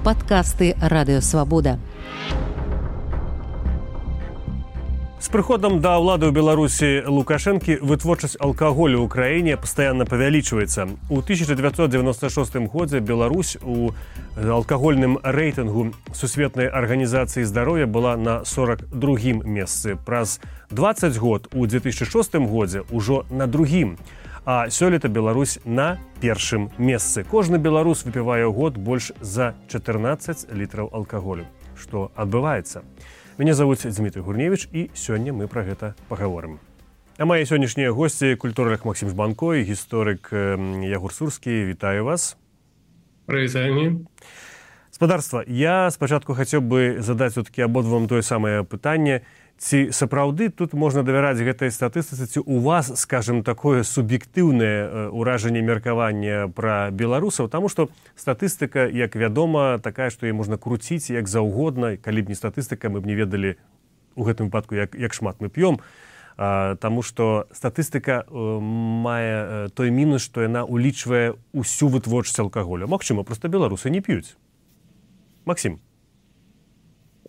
Падкасты Радыёвабода. С прыходам да ўлады ў Беларусі Лукашэнкі вытворчасць алкаголю ў краіне пастаянна павялічваецца. У 1996 годзе Беларусь у алкагольным рэйтынгу Сусветнай арганізацыі здароўя была на 42-м месцы. Праз 20 год у 2006 годзе ўжо на другім. А сёлета Беларусь на першым месцы. Кожны беларус выпівае ў год больш за 14 літраў алкаголю. Што адбываецца? Мяне завуць Дмітрий Гурневіч, і сёння мы пра гэта пагаворым. А мае сённяшнія госці культуролог Максим Жбанко і гісторык Ягор Сурскі. Вітаю вас. Прывітанне. Спадарства, я спачатку хацеў бы задаць все-таки абодвум тое самае пытанне. Ці сапраўды тут можна давяраць гэтай статыстыцы, ці у вас, скажем, такое суб'ектыўнае ўражанне меркавання пра беларусаў, таму што статыстыка, як вядома, такая, што яе можна круціць як заўгодна, калі б не статыстыка, мы б не ведалі у гэтым выпадку, як шмат мы п'ём, таму што статыстыка мае той мінус, што яна улічвае ўсю вытворчасць алкаголю. Магчыма, проста беларусы не п'юць. Максим.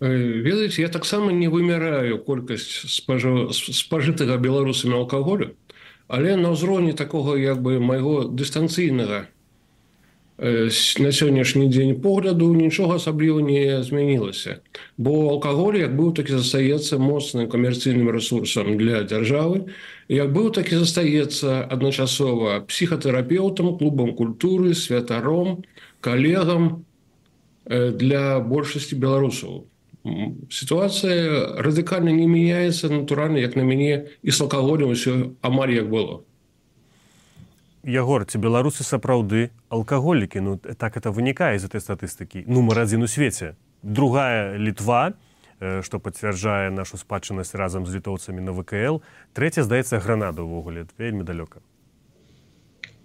Ведаеце, я таксама не вымяраю колькасць спажытага беларусамі алкаголю, але на ўзроўні такога як бы майго дыстанцыйнага на сённяшні дзень погляду нічога асабліва не змянілася. Бо алкаголь як быў, так і застаецца моцным камерцыйным рэсурсам для дзяржавы, як быў, так і застаецца адначасова псіхатэрапеўтам, клубам культуры, святаром, калегам для большасці беларусаў. Ситуация радикально не меняется, натурально, як на мяне, і з алкаголем усё амаль як было. Ягор, ці беларусы сапраўды алкаголікі? Ну, так это вынікае з этой статыстыкі. Нумар адзін у свеце. Другая Літва, што пацвярджае нашу спадчыннасць разам з літоўцамі на ВКЛ. Трэця, здаецца, Гранада ўвогуле. Вельмі далёка.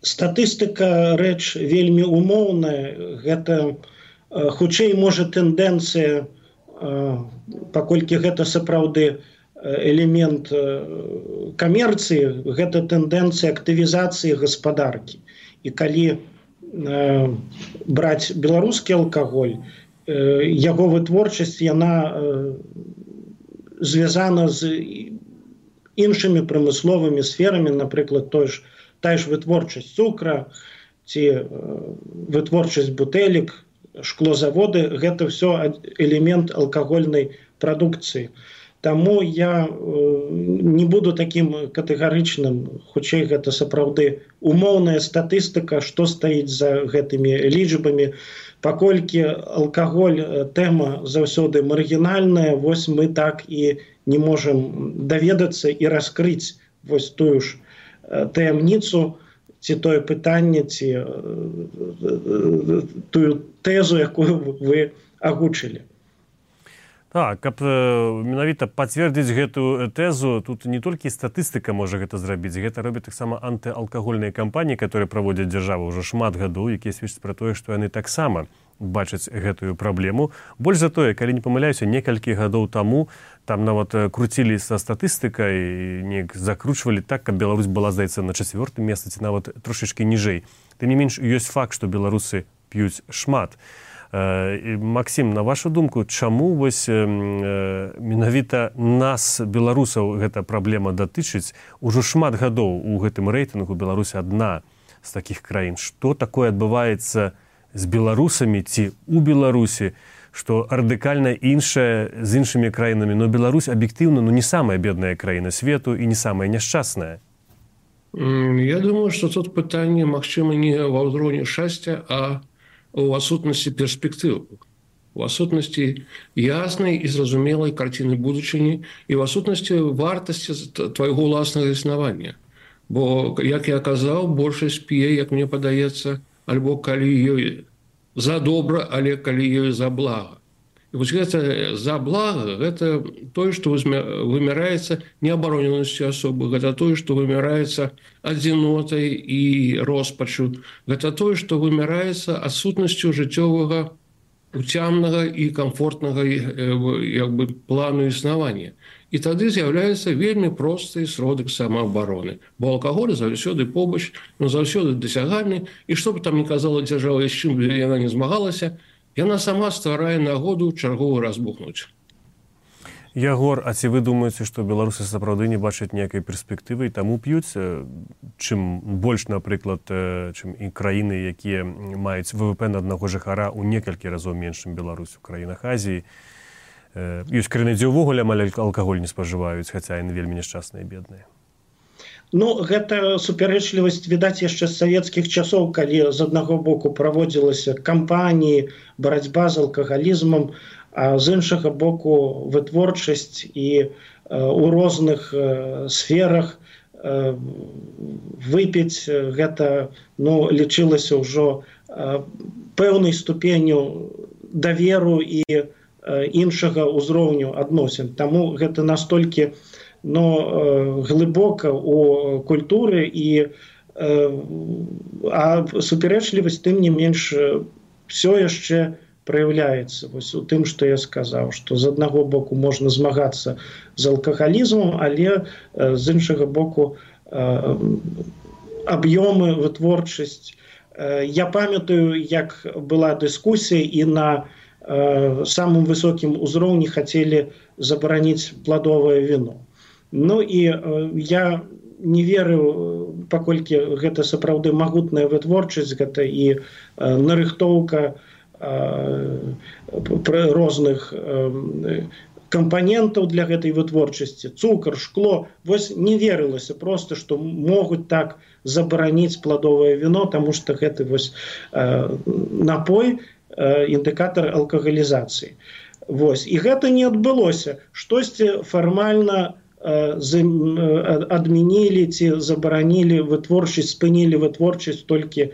Статыстыка рэч вельмі умоўная. Гэта хутчэй можа тэндэнцыя, паколькі гэта сапраўды элемент камерцыі, гэта тэндэнцыя актывізацыі гаспадаркі. І калі браць беларускі алкаголь, яго вытворчасць, яна звязана з іншымі прамысловымі сферамі, напрыклад, тая ж вытворчасць цукра ці вытворчасць бутэлек, шклозаводы, гэта все элемент алкагольнай прадукцыі. Таму я не буду такім катэгарычным, хутчэй гэта сапраўды умоўная статыстыка, што стаіць за гэтымі лічбамі. Паколькі алкаголь тэма заўсёды маргінальная, вось мы так і не можам даведацца і раскрыць вось тую ж таямніцу, ці тое пытанне, ці тую тэзу, якую вы агучылі. Так, каб менавіта пацвердзіць гэтую тэзу, тут не толькі статыстыка можа гэта зрабіць, гэта робяць таксама антыалкагольныя кампаніі, которые праводзяць дзяржавы ўжо шмат гадоў, якія сведчаць пра тое, што яны таксама бачаць гэтую праблему. Больш за тое, калі не памыляюся, некалькі гадоў таму там нават круцілі са статыстыкай, неяк закручвалі так, каб Беларусь была, здаецца, на 4-м месцы, ці нават трошачкі ніжэй. Тым не менш, ёсць факт, што беларусы п'юць шмат. Максим, на вашу думку, чаму вось менавіта нас, беларусаў, гэта праблема датычыць? Ужо шмат гадоў у гэтым рэйтынгу Беларусь адна з такіх краін. Што такое адбываецца з беларусамі ці у Беларусі, што радыкальна іншае з іншымі краінамі, но Беларусь аб'ектыўна не самая бедная краіна свету і не самая няшчасная? Я думаю, што тут пытанне, магчыма, не ва ўзроўні шчасця, а у адсутнасці перспектыў, у адсутнасці яснай і зразумелай карціны будучыні і ў адсутнасці вартасці твайго ўласнага існавання. Бо, як я казаў, большасць п'е, як мне падаецца, альбо калі ёй за добра, але калі ёй за блага. І вось гэта за блага, гэта тое, што вымяраецца неабароненасцю асобы, гэта тое, што вымяраецца адзінотай і роспачу, гэта тое, што вымяраецца адсутнасцю жыццёвага, уцямнага і камфортнага як бы плану існавання. І тады з'яўляецца вельмі просты сродак самаабароны. Бо алкаголь заўсёды побач, заўсёды дасягальны, і што б там не казала дзяржава, з чым яна не змагалася, яна сама стварае нагоду чаргово разбухнуць. Ягор, а ці вы думаеце, што беларусы сапраўды не бачаць ніякай перспектывы і таму п'юць, чым больш, напрыклад, чым і краіны, якія маюць ВВП на аднаго жыхара ў некалькі разоў менш, чым Беларусь у краінах Азіі. Ёсць краіны, дзе ўвогуле амаль алкаголь не спажываюць, хаця яны вельмі няшчасныя і бедныя. Ну, гэта супярэчлівасць, відаць, яшчэ з савецкіх часоў, калі з аднаго боку праводзілася кампаніі, барацьба з алкагалізмам, а з іншага боку вытворчасць і у розных сферах выпіць гэта лічылася ўжо пэўнай ступенню даверу і іншага ўзроўню адносін. Таму гэта настолькі глыбока ў культуры а супярэчлівасць тым не менш все яшчэ праяўляецца у тым, што я сказаў, што з аднаго боку можна змагацца з алкагалізмам, але з іншага боку аб'ёмы, вытворчасць. Я памятаю, як была дыскусія і на самым высокім узроўні хацелі забараніць пладовае віно. Ну і я не верыў, паколькі гэта сапраўды магутная вытворчасць, гэта і нарыхтоўка розных кампанентаў для гэтай вытворчасці, цукар, шкло. Вось не верылася проста, што могуць так забараніць пладовае віно, таму што гэты вось напой індыкатар алкагалізацыі. Вось. І гэта не адбылося. Штосьці фармальна адмянілі ці забаранілі вытворчасць, спынілі вытворчасць толькі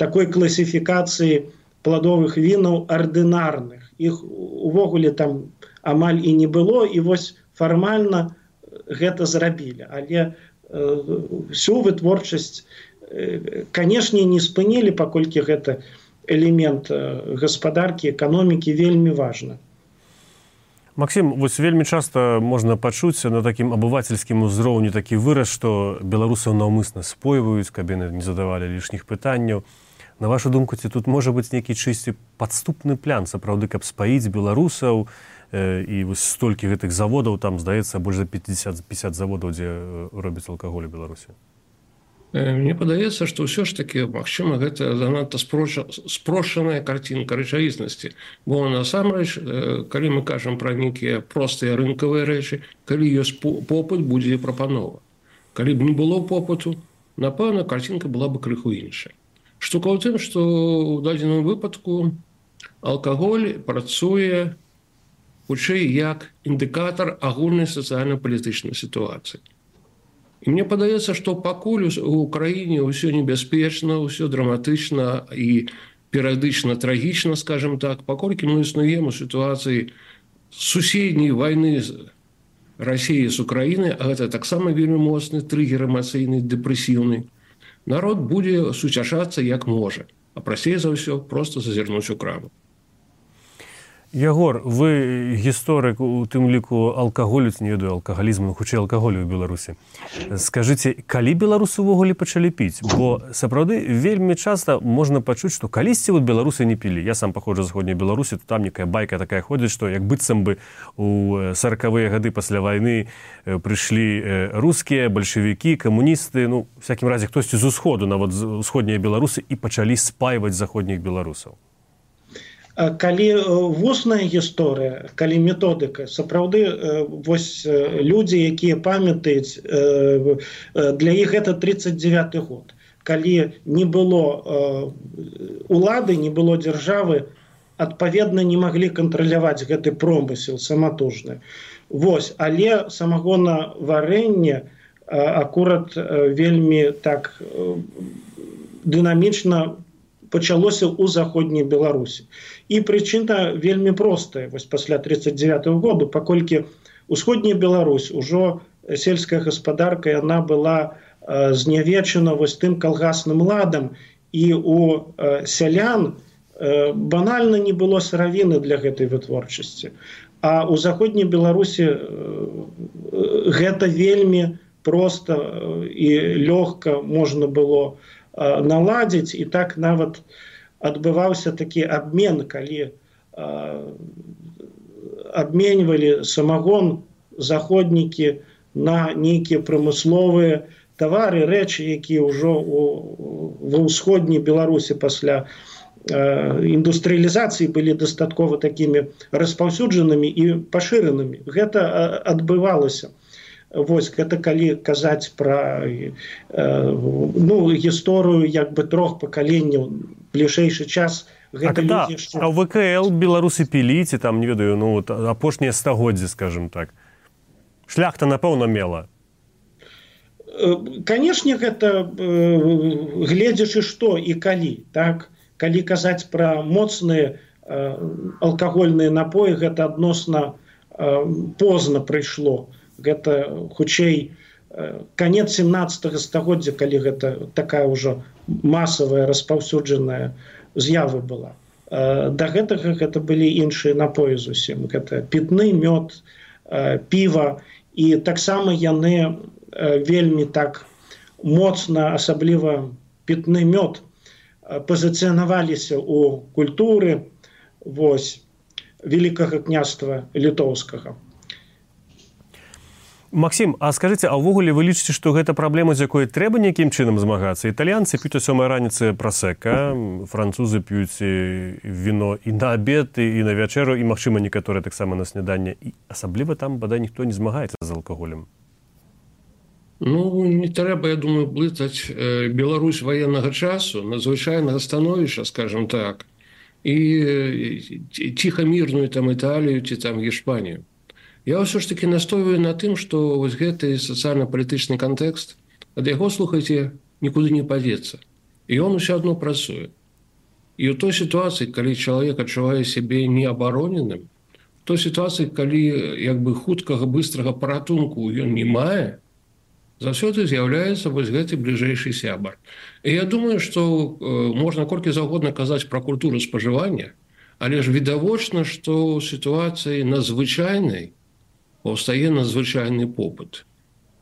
такой класіфікацыі пладовых вінаў ардынарных. Іх увогуле там амаль і не было, і вось фармальна гэта зрабілі. Але всю вытворчасць, канешне, не спынілі, паколькі гэта элемент гаспадаркі, эканомікі вельмі важна. Максім, вось вельмі часта можна пачуць на такім абывацельскім узроўні такі выраз, што беларусаў наўмысна спойваюць, каб яны не задавалі лішніх пытанняў. На вашу думку, ці тут можа быць нейкі чысці падступны план, сапраўды, каб спаіць беларусаў, і вось столькі гэтых заводаў, там, здаецца, больш за 50 заводаў, дзе робяць алкаголь у Беларусі? Мне падаецца, што ўсё ж такі, магчыма, гэта занадта спрошчаная карцінка рэчаіснасці. Бо насамрэч, калі мы кажам пра нейкія простыя рынкавыя рэчы, калі ёсць попыт, будзе прапанова. Калі б не было попыту, напэўна, карцінка была бы крыху іншая. Штука ў тым, што ў дадзеным выпадку алкаголь працуе хутчэй як індыкатар агульнай сацыяльна-палітычнай сітуацыі. І мне падаецца, што пакуль у краіне ўсё небяспечна, ўсё драматычна і перыядычна трагічна, скажем так, паколькі мы існуем у сітуацыі суседняй вайны з Расіяй з Украінай, а гэта таксама вельмі моцны трыгер эмацыйны, дэпрэсіўны, народ будзе суцяшацца як можа, а прасцей за ўсё проста зазірнуць у краму. Ягор, вы гісторык у тым ліку алкаголю, не ведаю, алкагалізму, хутчэй алкаголю ў Беларусі. Скажыце, калі беларусы ўвогуле пачалі піць? Бо сапраўды вельмі часта можна пачуць, што калісьці беларусы не пілі. Я сам паходжу з заходняй Беларусі, то там некая байка такая ходзіць, што як быццам бы у 40-е гады пасля вайны прыйшлі рускія, бальшавікі, камуністы, ну, у всякім разе хтосьці з усходу, нават з усходняй Беларусы, і пачалі спайваць заходніх беларусаў. Калі вусная гісторыя, калі методыка, сапраўды вось людзі, якія памятаюць, для іх гэта 39-й год. Калі не было улады, не было дзяржавы, адпаведна не маглі кантраляваць гэты промысел саматужны. Вось, але самагонаварэнне акурат вельмі так дынамічна пачалося ў заходняй Беларусі. І прычына вельмі простая, вось пасля 39-го году, паколькі усходняя Беларусь, ужо сельская гаспадарка, яна была знявечана вось тым калгасным ладам, і у сялян банальна не было сыравіны для гэтай вытворчасці. А ў заходняй Беларусі гэта вельмі проста і лёгка можна было наладзіць, і так нават адбываўся такі абмен, калі абменьвалі самагон заходнікі на нейкія прамысловыя тавары, рэчы, якія ўжо ва ўсходняй Беларусі пасля індустрыялізацыі былі дастаткова такімі распаўсюджанымі і пашыранымі. Гэта адбывалася. Вось, гэта калі казаць пра гісторыю як бы трох пакаленняў, бліжэйшы час. А ў ВКЛ беларусы пілі, ці там, не ведаю, апошнія стагоддзі, скажем так. Шляхта, напэўна, мела. Канешне, гэта гледзячы што і калі, так? Калі казаць пра моцныя алкагольныя напоі, гэта адносна позна прыйшло. Гэта, хутчэй, канец 17 стагоддзя, калі гэта такая ўжо масавая распаўсюджаная з'ява была. Да гэтага гэта былі іншыя напоі зусім. Гэта пітны, мёд, піва. І таксама яны вельмі так моцна, асабліва пітны мёд, пазіцыянаваліся ў культуры Вялікага княства літоўскага. Максім, а скажыце, а ўвогуле вы лічыце, што гэта праблема, з якой трэба нейкім чынам змагацца? Італьянцы п'юць о 7 раніцы прасека, французы п'юць віно і на абед, і на вячэру, і, магчыма, некаторыя таксама на сняданне. І асабліва там, бадай, ніхто не змагаецца з алкаголем. Не трэба, я думаю, блытаць Беларусь военнага часу, надзвычайнага становішча, скажем так, і ціха-мірную там Італію ці там Іспанію. Я ўсё ж таки настойваю на тым, што вось гэты сацыяльна-палітычны кантэкст, ад яго, слухайце, нікуды не падзецца. І ён усё адно працуе. І ў той сітуацыі, калі чалавек адчувае сябе неабароненым, в той сітуацыі, калі як бы хуткага, быстрага паратунку ён не мае, заўсёды з'яўляецца вось гэты бліжэйшы сябар. І я думаю, што можна колькі заўгодна казаць пра культуру спажывання, але ж відавочна, што ў сітуацыі надзвычайнай паўстае надзвычайны попыт.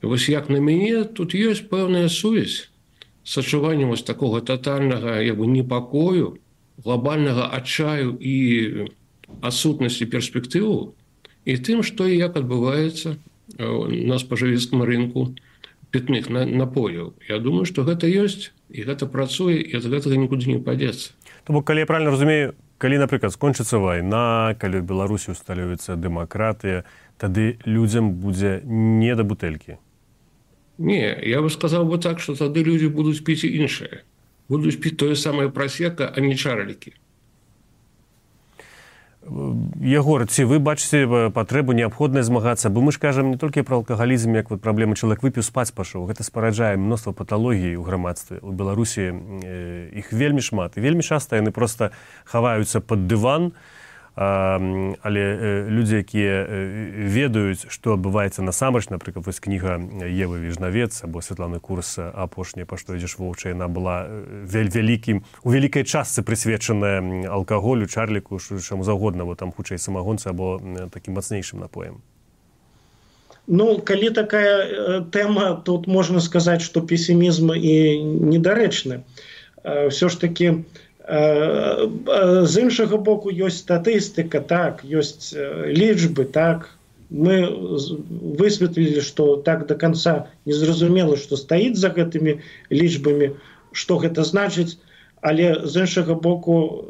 І вось як на мяне, тут ёсць пэўная сувязь з адчуваннем вось такога татальнага непакою, глобальнага адчаю і адсутнасці перспектыву, і тым, што і як адбываецца на спажывецкім рынку пітных напояў. Я думаю, што гэта ёсць, і гэта працуе, і ад гэтага нікуды не падзецца. То бок, калі я правильно разумею, калі, напрыклад, скончыцца вайна, калі ў Беларусі усталюецца дэмакратыя, тады людзям будзе не да бутэлькі. Не, я бы сказаў бы так, што тады людзі будуць піць іншае. Будуць піць тое самае прасека, а не чарлікі. Ягор, ці вы бачыце патрэбу неабходна змагацца, бо мы ж кажам не толькі пра алкагалізм, як праблема, чалавек выпіў, спаць пашоў. Гэта спараджае мноства паталогій у грамадстве. У Беларусі іх вельмі шмат. І вельмі часта яны проста хаваюцца пад дыван, але людзі, якія ведаюць, што адбываецца насамрэч, напрыклад, вось кніга Евы Віжнавец або Святланы Курс апошняя, па што ідзеш воўча, яна была у вялікай частцы прысвечаная алкаголю, чарліку, чаму заўгодна, бо там хутчэй самагонцы або такім мацнейшым напоем. Калі такая тэма, тут можна сказаць, што песімізм і недарэчны. Ўсё ж такі з іншага боку ёсць статыстыка, так, ёсць лічбы, так. Мы высветлілі, што так да канца незразумела, што стаіць за гэтымі лічбамі, што гэта значыць, але з іншага боку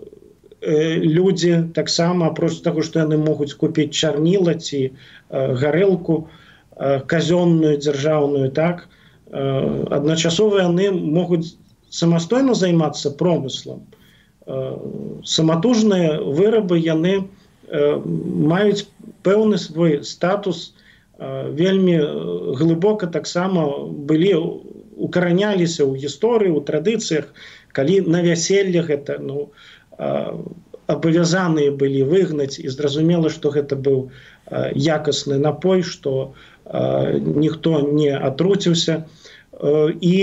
людзі таксама, апроч таго, што яны могуць купіць чарніла ці гарэлку казённую, дзяржаўную, так, адначасова яны могуць самастойна займацца промыслам. Саматужныя вырабы, яны маюць пэўны свой статус, вельмі глыбока таксама былі, укараняліся ў гісторыі, у традыцыях, калі на вяселле гэта абавязаныя былі выгнаць, і зразумела, што гэта быў якасны напой, што ніхто не атруціўся. І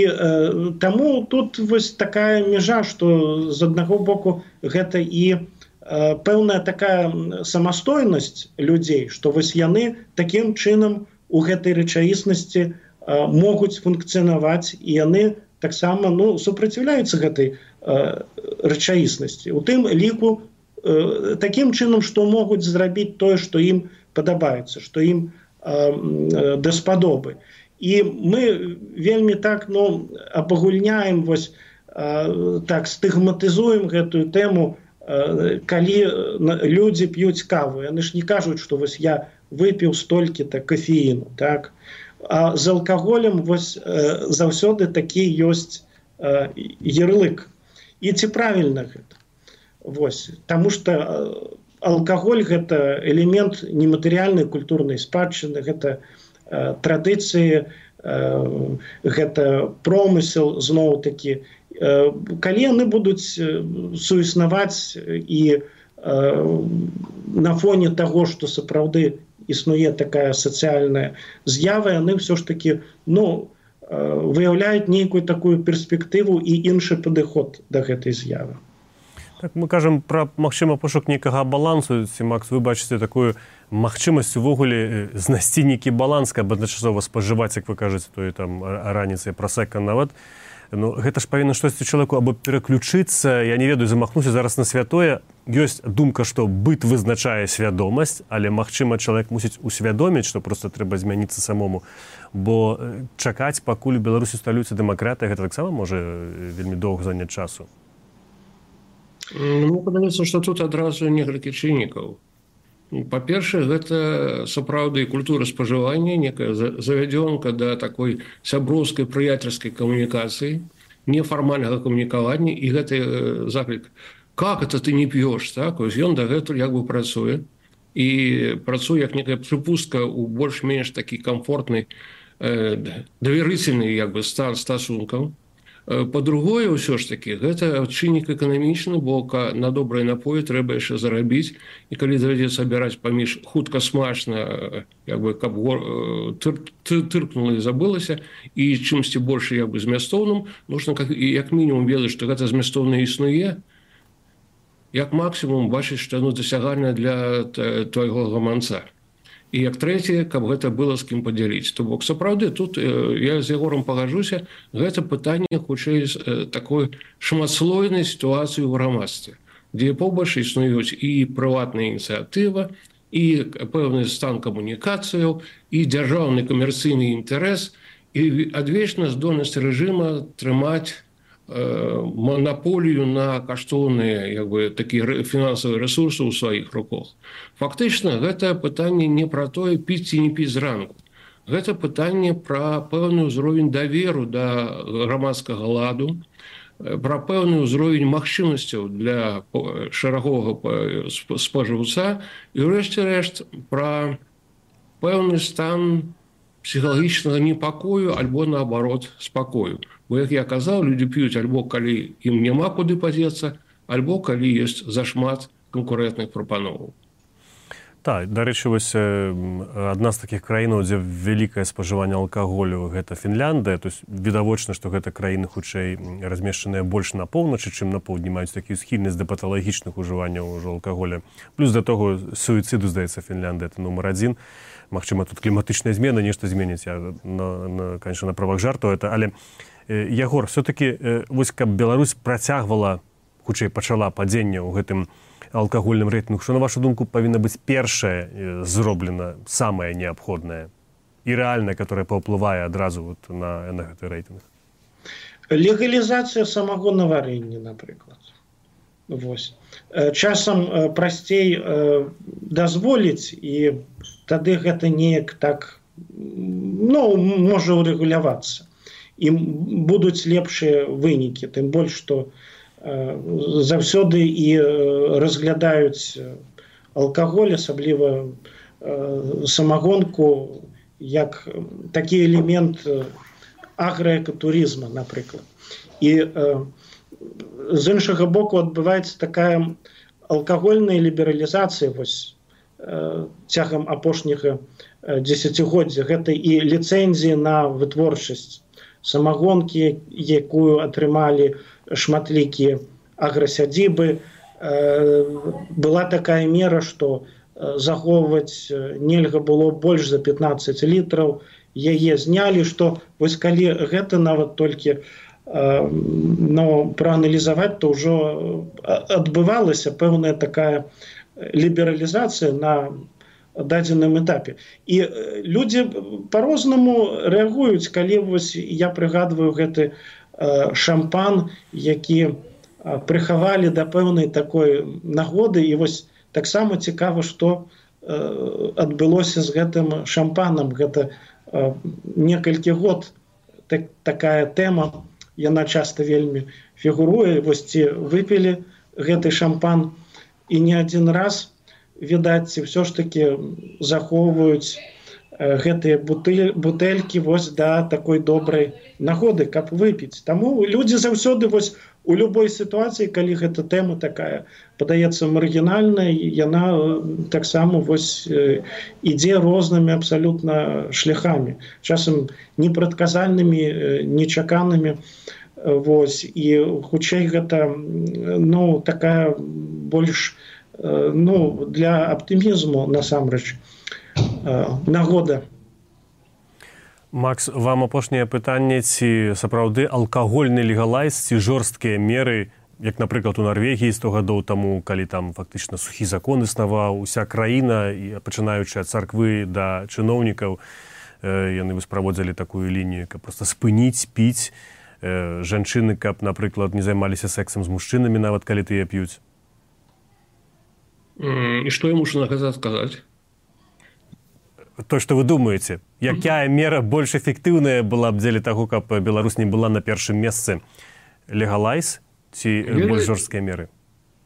таму тут вось такая мяжа, што з аднаго боку гэта і пэўная такая самастойнасць людзей, што вось яны такім чынам у гэтай рэчаіснасці могуць функцыянаваць, і яны таксама супраціўляюцца гэтай рэчаіснасці. У тым ліку такім чынам, што могуць зрабіць тое, што ім падабаецца, што ім даспадобы. І мы вельмі так абагульняем, так стыгматызуем гэтую тэму, калі людзі п'юць каву. Яны ж не кажуць, што я выпіў столькі-то кофеіну. Так? А з алкаголем заўсёды такі ёсць ярлык. І ці правільна гэта? Таму што алкаголь – гэта элемент нематэрыяльнай культурнай спадчыны, гэта традыцыі, гэта промысел, зноў-такі. Калі яны будуць суіснаваць і на фоне таго, што сапраўды існуе такая сацыяльная з'ява, яны ўсё ж такі выяўляюць нейкую такую перспектыву і іншы падыход да гэтай з'явы. Так, мы кажам пра, магчыма, пошук нейкага балансу. Ці, Макс, вы бачыце такую магчымасць увогуле знайсці нейкі баланс, каб адначасова спажываць, як вы кажаце, тое там раніцай прасека нават. Гэта ж павінна штосьці чалавеку або пераключыцца, я не ведаю, замахнуся зараз на святое. Ёсць думка, што быт вызначае свядомасць, але, магчыма, чалавек мусіць усвядоміць, што проста трэба змяніцца самому. Бо чакаць, пакуль у Беларусі усталюецца дэмакратыя, гэта таксама можа вельмі доўга заняць часу. Мне падаецца, што тут адразу некалькі чыннікаў. Па-першае, гэта сапраўды культура спажывання, некая завядзёнка да такой сяброўскай прыяцельскай камунікацыі, нефармальнага камунікавання, і гэты заклік «Как это ты не п'ёш?» Так? Ён дагэтуль як бы працуе, і працуе як некая прыпустка ў больш-менш такі камфортны, даверыцельны як бы стан стасункаў. Па-другое, ўсё ж такі, гэта чыннік эканамічны, бо на добрыя напоі трэба яшчэ зарабіць, і калі давядзецца абіраць паміж хутка смачна, як бы, каб тыркнула і забылася, і чымсьці больш як бы змястоўным, нужна як мінімум ведаць, што гэта змястоўна існуе, як максімум бачыць, што яно дасягальна для твайго гаманца. І як трэцяе, каб гэта было з кім падзяліць. То бок, сапраўды, тут я з Егорам пагаджуся, гэта пытанне хутчэй такой шматслойнай сітуацыі ў грамадстве, дзе побач існуюць і прыватная ініцыятыва, і пэўны стан камунікацыяў, і дзяржаўны камерцыйны інтарэс, і адвечная здольнасць рэжыма трымаць монополію на каштоўныя як бы такія фінансавыя рэсурсы ў сваіх руках. Фактычна, гэта пытанне не пра тое, піць ці не піць зранку. Гэта пытанне пра пэўны ўзровень даверу да грамадскага ладу, пра пэўны ўзровень магчымасцяў для шараговага спажыўца і, ўрэшце рэшт, пра пэўны стан псіхалагічнага непакою альбо, наоборот, спакою. Бо, як я казаў, людзі п'юць альбо калі ім няма куды падзецца, альбо калі ёсць зашмат канкурэнтных прапановаў. Так, дарэчы, адна з такіх краінаў, дзе вялікае спажыванне алкаголю, гэта Фінляндыя. То есть відавочна, што гэта краіны хутчэй размешчаныя больш на поўначы, чым на поўдні, маюць такую схільнасць да паталагічных ужыванняў ўжо алкаголя. Плюс да того суіцыду, здаецца, Фінляндыя, это нумар адзін. Магчыма, тут кліматычныя змены нешта зменіць. Я, конечно, на правах жарту это, але Ягор, все-таки, каб Беларусь працягвала, хутчэй пачала падзенне ў гэтым алкагольным рэйтынгу, што, на вашу думку, павінна быць першае зроблена, самае неабходнае і рэальнае, которое паўплывае адразу на гэты рэйтынг? Легалізацыя самагонаварэння, напрыклад. Часам прасцей дазволіць, і тады гэта неяк так, можа урэгулявацца. І будуць лепшыя вынікі, тым больш, што заўсёды і разглядаюць алкаголь, асабліва самагонку, як такі элемент аграэкатурызма, напрыклад. І з іншага боку адбываецца такая алкагольная лібералізацыя цягам апошняга дзесяцігоддзя. Гэта і ліцэнзіі на вытворчасць самагонкі, якую атрымалі шматлікія аграсядзібы. Была такая мера, што захоўваць нельга было больш за 15 літраў. Яе знялі, што калі гэта нават толькі прааналізаваць, то ўжо адбывалася пэўная такая лібералізацыя на дадзеным этапе. І людзі па-рознаму рэагуюць, калі вось я прыгадваю гэты шампан, які прыхавалі да пэўнай такой нагоды, і вось таксама цікава, што адбылося з гэтым шампанам. Гэта некалькі год такая тэма, яна часта вельмі фігуруе. Вось ці выпілі гэты шампан, і не адзін раз, відаць, ці ўсё ж такі захоўваюць гэтыя бутэлькі вось да такой добрай нагоды, каб выпіць. Таму людзі заўсёды вось у любой сітуацыі, калі гэта тэма такая падаецца маргінальнай, яна таксама вось ідзе рознымі абсалютна шляхамі, часам непрадказальнымі, нечаканымі. Вось, і хутчэй гэта такая больш для аптымізму насамрэч нагода. Макс, вам апошняе пытанне, ці сапраўды алкагольны легалайз, ці жорсткія меры, як, напрыклад, у Нарвегіі 100 гадоў таму, калі там фактычна сухі закон існаваў, уся краіна, пачынаючы ад царквы да чыноўнікаў, яны праводзілі такую лінію, каб проста спыніць піць, жанчыны, каб, напрыклад, не займаліся сексам з мужчынамі, нават калі тыя п'юць. І што я мушу на гэта сказаць? То, што вы думаеце, якая мера больш эфектыўная была б дзеля таго, каб Беларусь не была на першым месцы? Легалайз ці больш жорсткія меры?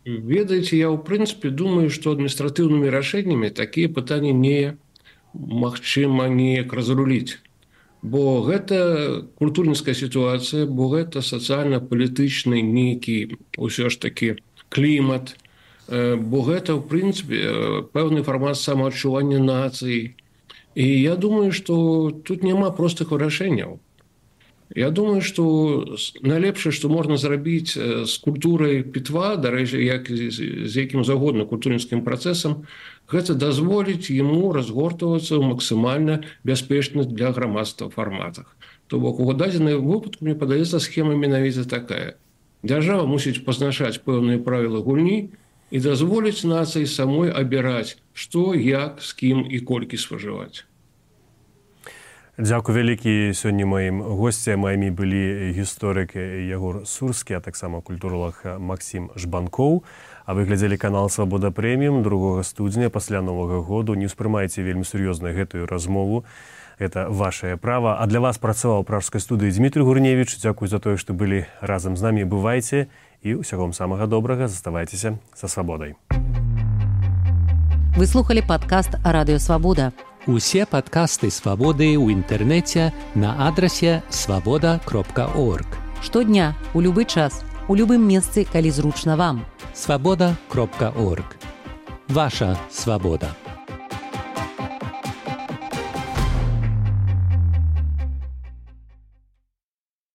Ведаеце, я ў прынцыпе думаю, што адміністратыўнымі рашэннямі такія пытанні немагчыма неяк разруліць. Бо гэта культурніцкая сітуацыя, бо гэта сацыяльна-палітычны нейкі ўсё ж такі клімат, бо гэта, ў прынцыпе, пэўны фармат самаадчування нацыі. І я думаю, што тут няма простых вырашэнняў. Я думаю, што найлепшае, што можна зрабіць з культурай пітва, дарэчы, як з якім загодна культурніцкім працэсам, гэта дазволіць яму разгортвацца ў максімальна бяспечных для грамадства фарматах. То бок, у дадзеным выпадку, мне падаецца, схема менавіта такая. Дзяржава мусіць пазначаць пэўныя правілы гульні і дазволіць нацыі самой абіраць, што, як, з кім і колькі спажываць. Дзякуй вялікі. Сёння маім госцям былі гісторык Ягор Сурскі, а таксама культуролог Максім Жбанкоў. А вы глядзелі канал «Свабода Прэміум» 2 студзеня пасля Новага году. Не ўспрымайце вельмі сур'ёзна гэтую размову. Это вашае права. А для вас працаваў у пражскай студыі Дмітрый Гурневіч. Дзякуй за тое, што былі разам з намі. Бывайце і ўсяго вам самага добрага. Заставайцеся са свабодай. Вы слухали падкаст «Радыё Свабода». Усе падкасты «Свабоды» ў інтэрнэце на адрасе свабода.орг. Штодня, у любы час, у любым месцы, калі зручна вам. Свабода.орг. Ваша свабода.